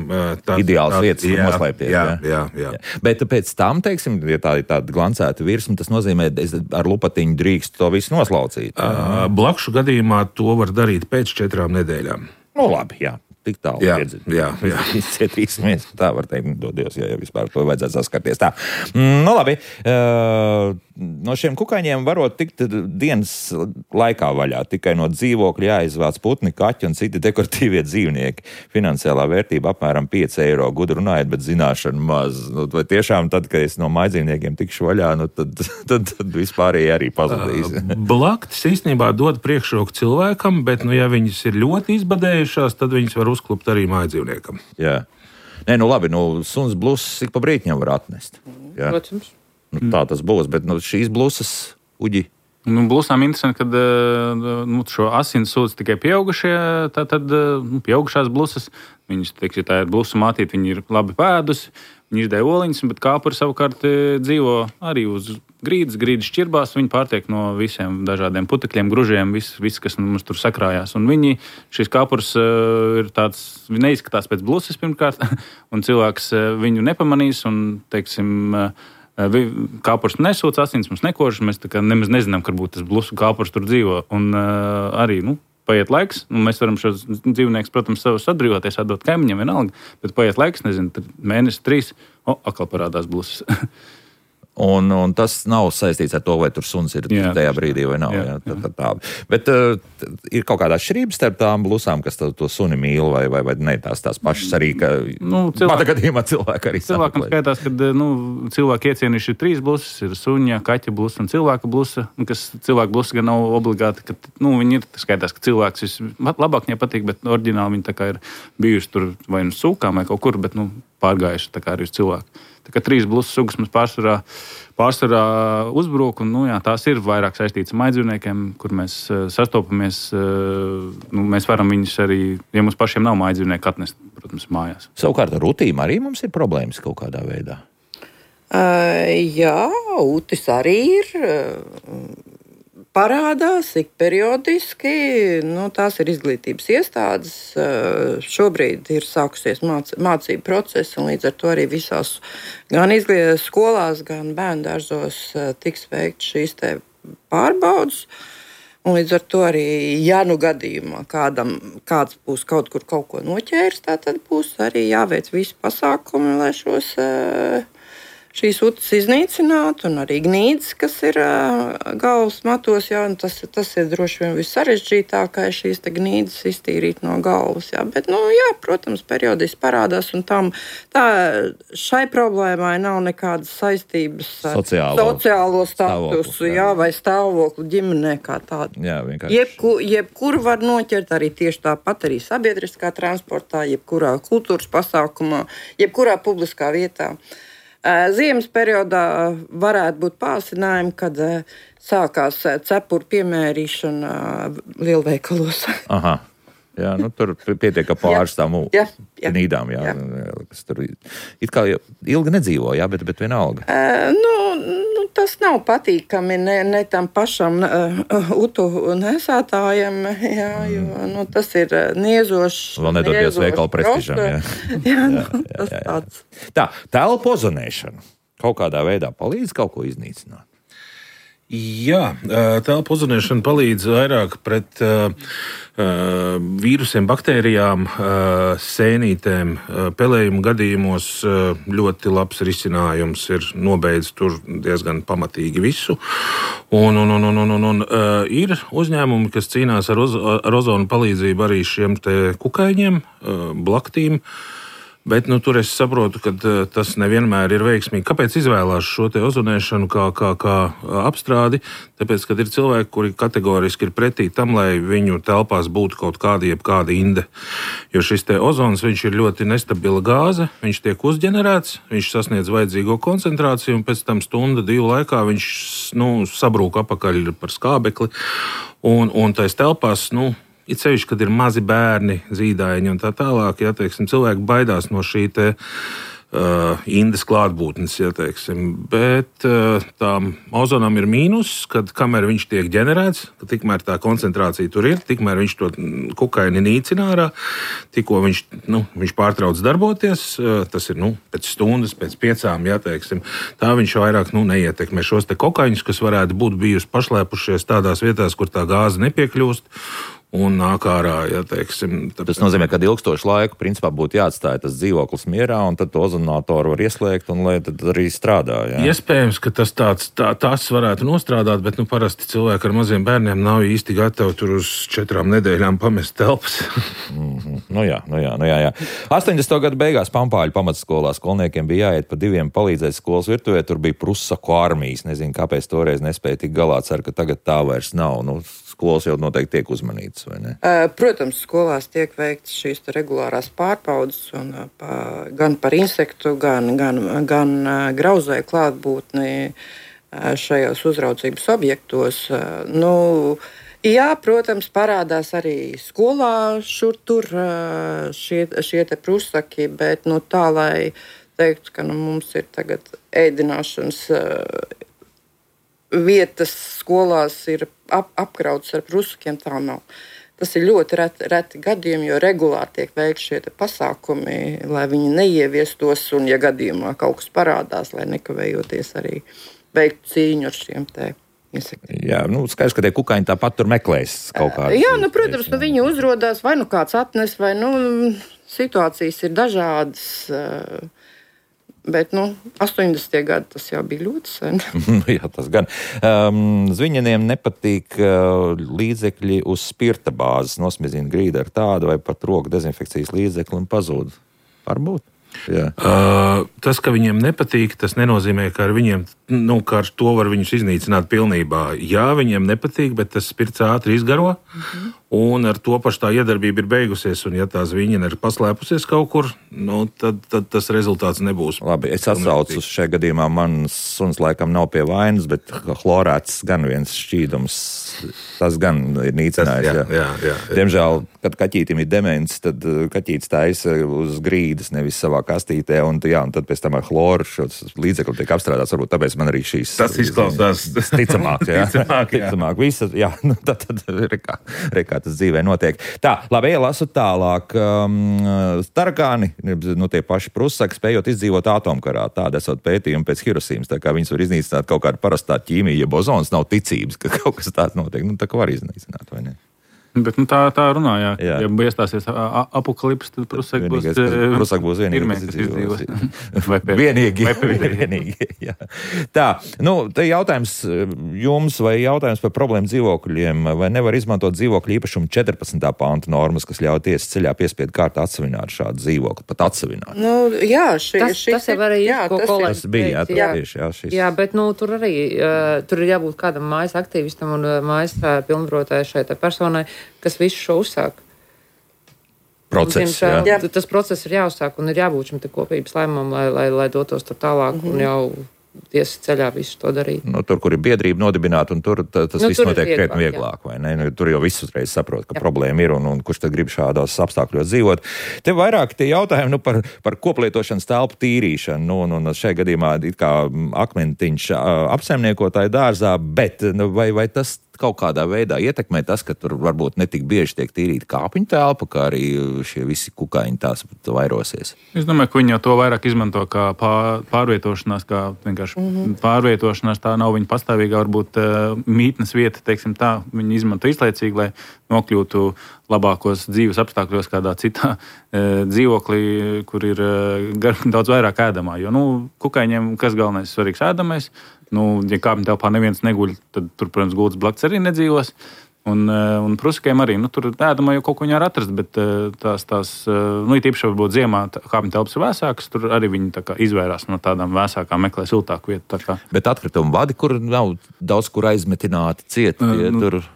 Ideāls vietas, kur noslēpties. Jā. Bet pēc tam, teiksim, ja tā ir tāda glancēta virsma, tas nozīmē, ar lupatiņu drīkst to visu noslaucīt. Blakšu gadījumā to var darīt pēc 4 nedēļām. Labi, jā. Tik tālu izcietīsimies. Tā var teikt, dodies, ja vispār to vajadzētu saskarties. Tā. Labi. No šiem kukaiņiem varot tikt dienas laikā vaļā. Tikai no dzīvokļa jāizvāc putni, kaķi un citi dekoratīvie dzīvnieki. Finansiālā vērtība apmēram 5 eiro. Gudri runājot, bet zināšana maz. Vai tiešām tad, kad es no mājdzīvniekiem tikšu vaļā, tad vispārēji arī pazudīs. Blaktis īstenībā dod priekšroku cilvēkam, bet, ja viņas ir ļoti izbadējušās, tad viņas var uzklupt arī mājdzīvniekam. Jā. Nē, labi, suns blusas ik pa brītņam var atnest. Jā. Protams. Tā tas būs, bet šīs blusas, uģi. Blusām interesanti, kad šo asins sūdz tikai pieaugušie, tad pieaugušās blusas. Viņas, ja tā ir blusu mātīte, viņi ir labi pēdusi, viņi izdēja oliņas, bet kāpuri savukārt dzīvo arī uz grīdas šķirbās. Viņi pārtiek no visiem dažādiem putekļiem, gružiem, viss, kas mums tur sakrājās. Un šis kāpurs ir tāds, neizskatās pēc blusas pirmkārt, un cilvēks viņu nepamanīs, un, teiksim, kāpurs nesūc asins, mums nekožas, mēs tā kā nemaz nezinām, ka būtu tas blusu kāpurs tur dzīvo. Un arī, paiet laiks, mēs varam šos dzīvniekus, protams, savus atbrīvoties, atdot kaimiņiem vienalga, bet paiet laiks, nezinu, mēnesis, 3, atkal parādās blusas. Un tas nav saistīts ar to, vai tur suns ir tajā brīdī vai nav. Jā. Tā. Bet ir kaut kāda atšķirība starp tām blusām, kas to suni mīl, vai ne tās pašas arī, ka mana gadījumā cilvēki arī cilvēkam skaitās, ka cilvēki iecienījuši ir 3 blusas, ir suņa, kaķa blusa un cilvēka blusa, kas cilvēka blusa gan nav obligāti, ka viņi ir skaitās, ka cilvēks labāk viņai patīk, bet oriģināli viņi tā kā ir bijuši tur vai nu sūkām vai kaut kur, bet pārgājuši tā kā arī uz cilvēku. Tā kā 3 blusas sugas mums pārsvarā uzbrūk, un tās ir vairāk saistītas ar mājdzīvniekiem, kur mēs sastopamies. Mēs varam viņus arī, ja mums pašiem nav mājdzīvnieki, atnest, protams, mājās. Savukārt ar utīm arī mums ir problēmas kaut kādā veidā? Jā, utis arī ir. Parādās ik periodiski, tās ir izglītības iestādes. Šobrīd ir sākusies mācību procesi, un līdz ar to arī visās gan skolās, gan bērndārzos tiks veikt šīs te pārbaudas. Un līdz ar to arī, ja gadījumā kāds būs kaut kur kaut ko noķēris, tad būs arī jāveic visi pasākumi, lai šīs utas iznīcinātu, un arī gnīdzes, kas ir galvas matos, tas ir droši vien vissarežģītākais, šīs te gnīdzes iztīrīt no galvas. Bet, protams, periodiski parādās, un šai problēmai nav nekādas saistības ar sociālo statusu, vai stāvokli ģimenē kā tādu. Jā, vienkārši. Jebkuru var noķert, arī tieši tāpat arī sabiedriskā transportā, jebkurā kultūras pasākumā, jebkurā publiskā vietā. Ziemas periodā varētu būt pārsinājumi, kad sākās cepuru piemērīšana lielveikalos. Aha. Jā, tur pietiek, ka pāris tām nīdām, kas tur it kā ilgi nedzīvo, bet vienalga. Tas nav patīkami ne tam pašam utu nesētājam, jo tas ir niezošs. Vēl nedoties veikalu prestižam. Tas tāds. Tā, telpu ozonēšana kaut kādā veidā palīdz kaut ko iznīcināt? Jā, telpu ozonēšana palīdz vairāk pret vīrusiem, baktērijām, sēnītēm. Pelējumu gadījumos ļoti labs risinājums ir nobeidz tur diezgan pamatīgi visu. Un ir uzņēmumi, kas cīnās ar ozonu palīdzību arī šiem te kukaiņiem, blaktīm. Bet tur es saprotu, ka tas nevienmēr ir veiksmīgi. Kāpēc izvēlās šo te ozonēšanu kā apstrādi? Tāpēc, ka ir cilvēki, kuri kategoriski ir pretī tam, lai viņu telpās būtu kaut kāda inde. Jo šis te ozons, viņš ir ļoti nestabila gāze, viņš tiek uzģenerēts, viņš sasniedz vajadzīgo koncentrāciju, un pēc tam stunda, 2 laikā viņš sabrūk apakaļ par skābekli. Un tais telpās, it sevišķi, kad ir mazi bērni, zīdaiņi un tā tālāk, cilvēki baidās no šī te indes klātbūtnes, bet tām ozonam ir mīnus, kad kamēr viņš tiek ģenerēts, ka tikmēr tā koncentrācija tur ir, tikmēr viņš to kukaini nīcina ārā, tikko viņš pārtrauc darboties, tas ir pēc stundas, pēc 5, tā viņš vairāk neietekmē šos te kokaiņus, kas varētu būt bijusi pašlēpušies tādās vietās, kur tā gāze nepiekļūst. Un nāk ārā, Tas nozīmē, ka ilgstošu laiku principā būtu jāatstāj tas dzīvoklis mierā, un tad to ozonātoru var ieslēgt, un lai tad arī strādā. Jā. Iespējams, ka tas varētu nostrādāt, bet parasti cilvēki ar maziem bērniem nav īsti gatavi tur uz 4 nedēļām pamest telpas. Jā. 80. gadu beigās Pampāļu pamatskolā skolniekiem bija jāiet pa 2 palīdzēt skolas virtuvē, tur bija prusaku armijas. Nezinu, kāpēc toreiz nespēja tik galā, ceru, ka tagad tā vairs nav. Skolas jau noteikti tiek uzmanītas, vai ne? Protams, skolās tiek veikts šīs regulārās pārbaudes gan par insektu, gan grauzēju klātbūtni šajos uzraudzības objektos. Jā, protams, parādās arī skolā šur tur šie te prusaki, bet tā, lai teiktu, ka mums ir tagad ēdināšanas vietas skolās ir apkrautas ar prusakiem, tā nav. Tas ir ļoti reti gadījumi, jo regulāri tiek veikti šie pasākumi, lai viņi neieviestos, un, ja gadījumā kaut kas parādās, lai nekavējoties arī veiktu cīņu ar šiem te insektiem. Jā, skaidrs, ka tie kukaiņi tāpat tur meklēs kaut kādas. Jā, protams, viņi uzrodās, vai kāds atnes, vai situācijas ir dažādas. Bet 80. gadi tas jau bija ļoti sen. Jā, tas gan. Zviņaniem nepatīk līdzekļi uz spirta bāzes. Nosmizina grīdu ar tādu vai pat roku dezinfekcijas līdzekli un pazūd. Varbūt. Jā. Tas, ka viņiem nepatīk, tas nenozīmē, ka ar viņiem, ka ar to var viņus iznīcināt pilnībā. Jā, viņiem nepatīk, bet tas spirts ātri izgaro, un ar to pašu tā iedarbība ir beigusies, un ja tā zviņina ir paslēpusies kaut kur, tad tas rezultāts nebūs. Labi, es atsaucu uz šajā gadījumā, mans suns laikam nav pie vainas, bet chlorēts gan viens šķīdums, tas gan ir nīcinājis. Jā. Diemžēl, kad kaķītim ir demens, tad kaķītis taisa uz grīdas, nevis savā kastītē, un tad pēc tam ar chloru šos līdzekļus tiek apstrādāts. Varbūt tāpēc man arī šīs... Tas izklausās ticamāk, jā. Ticamāk. Visa, jā, tad rekā tas dzīvē notiek. Tā, labi, ielasu tālāk. Tarakāni, tie paši prusaki, spējot izdzīvot atomkarā. Tāda esot pētījumi pēc Hirosīmas, tā kā viņas var iznīcināt kaut kādu parastā ķīmija, ja bozons nav ticības, ka kaut kas tāds notiek. Tā kā var iznīcināt, vai ne? Bet tā runā, jā. Ja iestāsies apokalips, tad prusaki būs vienīgi, kas izdzīvos. Vienīgi, jā. Tā, te jautājums jums vai jautājums par problēmu dzīvokļiem, vai nevar izmantot dzīvokļu īpašumu 14. pānta normas, kas ļauj tiesas ceļā piespiedu kārtā atsevināt šādu dzīvokli, pat atsevināt? Jā, tas jau arī tas bija, šis. Jā, bet tur arī, tur ir jābūt kādam mājas aktīvistam un mājas pilnvarotāju šai personai, kas visu šo uzsāk. Process, tas process ir jāuzsāk un ir jābūt šim te kopības lēmumam, lai dotos tur tālāk un jau tiesas ceļā visu to darīt. Tur, kur ir biedrība nodibināta, un tur tas viss notiek krietni vieglāk, vai ne? Tur jau viss uzreiz saprot, ka problēma ir, un kurš tad grib šādos apstākļos dzīvot. Te vairāk tie jautājumi par koplietošanas telpu tīrīšanu, un šajā gadījumā it kā akmentiņš apsaimniekotāju dārzā, bet vai tas kaut kādā veidā ietekmē tas, ka tur varbūt netik bieži tiek tīrīta kāpiņu telpa, kā arī šie visi kukaiņi tās vairosies? Es domāju, ka viņi jau to vairāk izmanto kā pārvietošanās, kā vienkārši pārvietošanās, tā nav viņa pastāvīgā varbūt mītnes vieta, teiksim tā, viņi izmanto izlaicīgi, lai nokļūtu labākos dzīves apstākļos kādā citā dzīvoklī, kur ir daudz vairāk ēdamā, jo, kukaiņiem kas galvenais svarīgs ēdamais, ja kāpņu telpā neviens neguļ, tad tur, protams, gultas blakus arī nedzīvos. Un prusakiem arī, tur ēdamā jau kaut ko viņi var atrast, bet tās īpaši varbūt ziemā kāpņu telpas ir vēsākas, tur arī viņi tā kā izvairās no tādām vēsākām, meklē siltāku vietu. Bet atkritumu vadi, kur nav daudz kur aizmetināti cieti?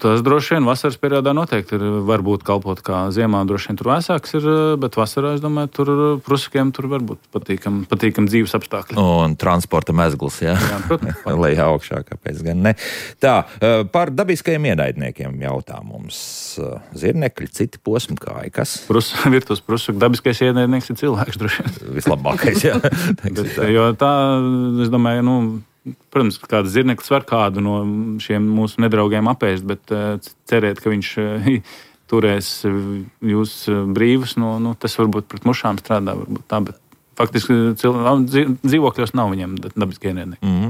Tas droši vien vasaras periodā noteikti var būt kalpot kā ziemā, droši vien tur vēsāks ir, bet vasarā, es domāju, tur prusakiem tur var būt patīkam dzīves apstākļi. Un transporta mezgls, jā? Jā, protams. Lai augšā, kāpēc gan ne. Tā, par dabiskajiem ienaidniekiem jautā mums zirnekļi, citi posmkāji, kas? Virtuves prusaku dabiskais ienaidnieks ir cilvēks, droši vien. Vislabākais, jā. Jo tā, es domāju, protams, kāds zirneklis var kādu no šiem mūsu nedraugiem apēst, bet cerēt, ka viņš turēs jūs brīvus, tas varbūt pret mušām strādā, varbūt tā, bet faktiski dzīvokļos nav viņiem dabiskie ienaidnieki.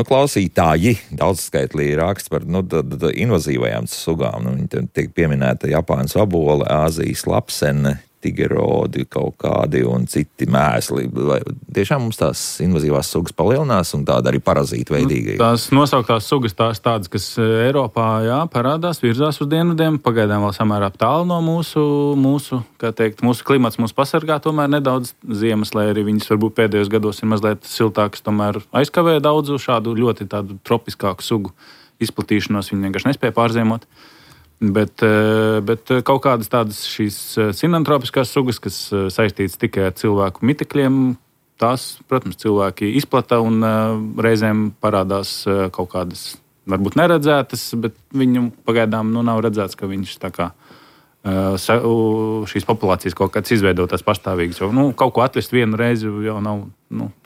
Klausītāji daudzskaitlī raksta par invazīvajām sugām. Viņi tiek pieminēta Japānas vabola, Āzijas lapsene, tigerodi kaut kādi un citi mēsli. Vai tiešām mums tās invazīvās sugas palielinās un tāda arī parazīta veidīga? Tās nosauktās sugas tādas, kas Eiropā parādās, virzās uz dienvidiem, pagaidām vēl samērā tālu no mūsu klimats mūs pasargā tomēr nedaudz ziemas, lai arī viņas varbūt pēdējos gados ir mazliet siltākas, tomēr aizkavē daudzu šādu ļoti tādu tropiskāku sugu izplatīšanos, viņi vienkārši nespēja pārziemot. Bet kaut kādas tādas šīs sinantropiskās sugas, kas saistītas tikai ar cilvēku mitekļiem, tās, protams, cilvēki izplata un reizēm parādās kaut kādas, varbūt neredzētas, bet viņu pagaidām nav redzēts, ka viņš tā kā šīs populācijas kaut kāds izveidotās pastāvīgas. Jo, kaut ko atvest vienu reizi jau nav,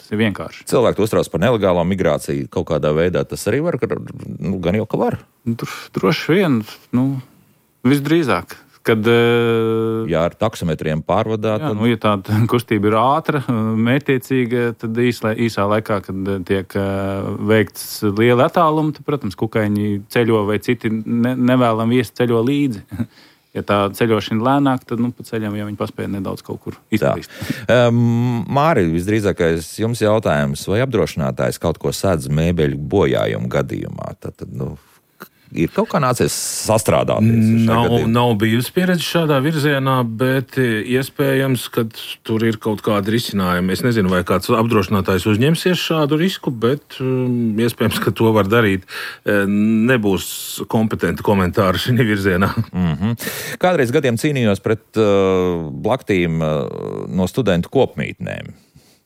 tas ir vienkārši. Cilvēki uztrauc par nelegālo migrāciju kaut kādā veidā. Tas arī var, gan jau ka var. Droši vien, visdrīzāk. Kad, ar taksometriem pārvadāt. Ja tāda kustība ir ātra, mērķtiecīga, tad īsā laikā, kad tiek veikts liela attāluma, tad, protams, kukaiņi ceļo vai citi nevēlam viesi ceļo līdzi. ja tā ceļošana lēnāk, tad pa ceļam jau viņi paspēja nedaudz kaut kur izplīst. Māri, visdrīzākais jums jautājums, vai apdrošinātājs kaut ko sēdz mēbeļu bojājumu gadījumā? Tad ir kaut kā nācies sastrādāties? Nav bijusi pieredze šādā virzienā, bet iespējams, ka tur ir kaut kāda risinājuma. Es nezinu, vai kāds apdrošinātājs uzņemsies šādu risku, bet iespējams, ka to var darīt. Nebūs kompetenti komentāri šī virzienā. Kādreiz gadiem cīnījos pret blaktīm no studentu kopmītnēm.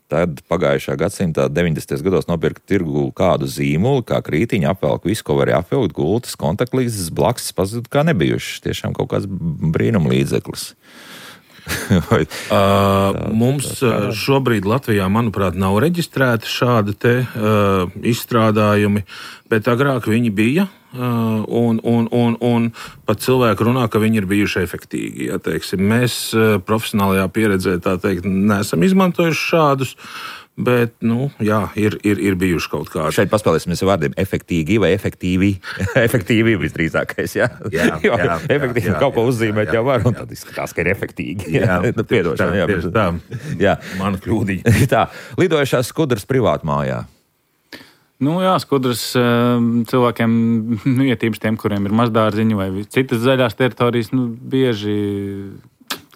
Tad pagājušā gadsimta 90. gados nopirka tirgu kādu zīmolu, kā krītiņu, apvelk visu, ko varēja apvilkt, gultas, kontaktlīdzes, blaksas pazuda kā nebijušas. Tiešām kaut kāds brīnuma līdzeklis. Mums šobrīd Latvijā, manuprāt, nav reģistrēti šādi te izstrādājumi, bet agrāk viņi bija. Un pat cilvēki runā, ka viņi ir bijuši efektīgi. Ja, teiksim, mēs profesionālajā pieredzē, tā teikt, neesam izmantojuši šādus, bet, ir bijuši kaut kādi. Šeit paspēlēsimies ar vārdiem efektīgi vai efektīvi. Efektīvi visdrīzākais, jā. Jā, efektīvi kaut ko uzzīmēt jau var, un tad izskatās, ka ir efektīgi. Jā, tieši tā. Jā. Mana kļūdiņa. Tā, lidojušās skudras privātmājā. Skudras cilvēkiem, ietīpaši tiem, kuriem ir mazdārziņi vai citas zaļās teritorijas, bieži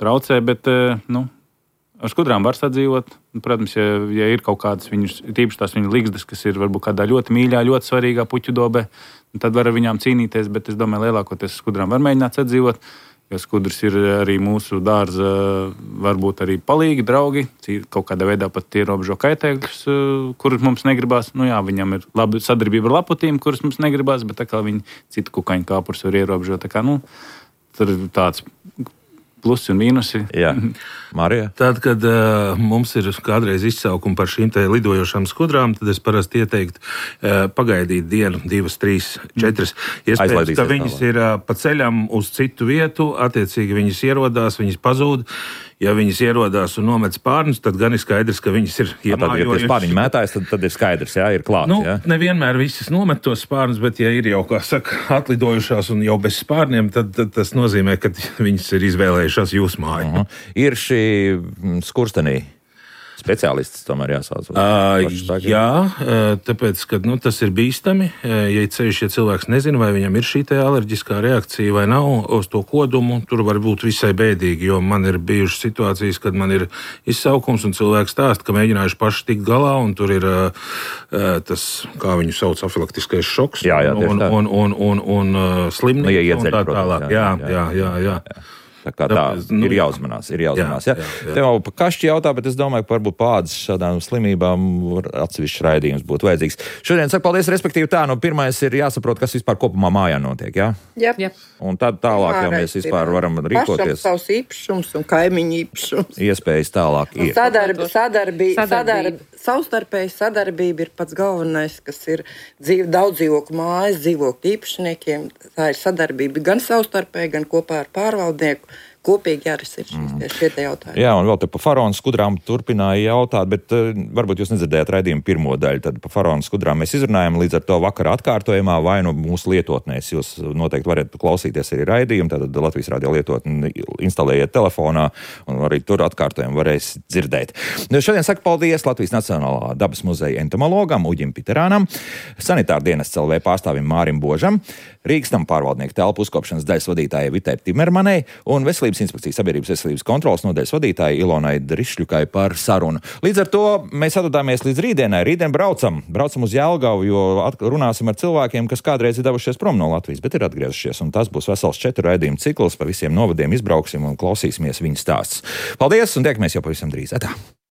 traucē, bet, ar skudrām var sadzīvot. Protams, ja ir kaut kādas tīpaši tās viņu ligzdas, kas ir varbūt kādā ļoti mīļā, ļoti svarīgā puķu dobē, tad var ar viņām cīnīties, bet es domāju, lielākoties skudrām var mēģināt sadzīvot. Jo skudras ir arī mūsu dārza, varbūt arī palīgi, draugi, kaut kādā veidā pat ierobežo kaitēkļus, kurus mums negribās. Viņam ir laba sadarbība ar laputīm, kuras mums negribās, bet tā kā viņi citu kukaiņu kāpurus var ierobežot. Tā kā, tur ir tāds plusi un mīnusi. Jā, Marija. Tad, kad mums ir kādreiz izsaukumi par šīm te lidojošām skudrām, tad es parasti ieteiktu pagaidīt dienu, 2, 3, 4. Iespējams, ka viņas ir pa ceļam uz citu vietu, attiecīgi viņas ierodās, viņas pazūd. Ja viņas ierodās un nomet spārnus, tad gan ir skaidrs, ka viņas ir iemājojušas. Ja spārniņi mētājas, tad ir skaidrs, jā, ir klāt. Nevienmēr visas nomet tos spārnus, bet ja ir jau, kā saka, atlidojušās un jau bez spārniem, tad tas nozīmē, ka viņas ir izvēlējušās jūsu māju. Ir šī skurstenī speciālists tomēr jāsauc. Jā, tāpēc, ka tas ir bīstami. Ja cilvēks nezina, vai viņam ir šī alerģiskā reakcija vai nav uz to kodumu, tur var būt visai bēdīgi, jo man ir bijušas situācijas, kad man ir izsaukums un cilvēks stāsta, ka mēģinājuši paši tikt galā, un tur ir tas, kā viņu sauc, afilaktiskais šoks un slimnīca un tā tālāk. Jā. Tā ir jāuzmanās. Tev jau pa kašķi jautā, bet es domāju, ka varbūt pādas šādām slimībām atsevišķs raidījums būtu vajadzīgs. Šodien saku paldies, respektīvi pirmais ir jāsaprot, kas vispār kopumā mājā notiek, jā? Jā. Un tad tālāk jau mēs vispār varam rīkoties. Pašam savs īpašums un kaimiņu īpašums. Iespējas tālāk ir. Savstarpēja sadarbība ir pats galvenais, kas ir daudz dzīvokļu mājas, dzīvokļu īpašniekiem. Tā ir sadarbība gan savstarpēji, gan kopā ar pārvaldnieku. Kopīgi jārisina šie jautājumi. Jā, un vēl te par faraonu skudrām turpināja jautāt, bet varbūt jūs nedzirdējāt raidījumu pirmo daļu, tad par faraonu skudrām mēs izrunājam, līdz ar to vakara atkārtojumā vai mūsu lietotnēs. Jūs noteikti varat klausīties arī raidījumu, tad Latvijas radio lietotni instalējiet telefonā un arī tur atkārtojumu varēs dzirdēt. Šodien saku paldies Latvijas Nacionālā dabas muzeja entomologam Uģim Piterānam, sanitāra dienests LV pārstāvim Mārim Božam, Rīgas nama pārvaldnieku telpu uzkopšanas daļas vadītājai Vitai Timermanei un Veselības inspekcijas sabiedrības veselības kontrolas nodaļas vadītājai Ilonai Drišļukai par sarunu. Līdz ar to mēs atdodāmies līdz rītdienai. Rītdien braucam uz Jelgavu, jo runāsim ar cilvēkiem, kas kādreiz ir devušies prom no Latvijas, bet ir atgriezušies. Un tas būs vesels 4 raidījumu cikls, pa visiem novadiem izbrauksim un klausīsimies viņu stāsts. Paldies un tiekamies jau pavisam drīz. Atā!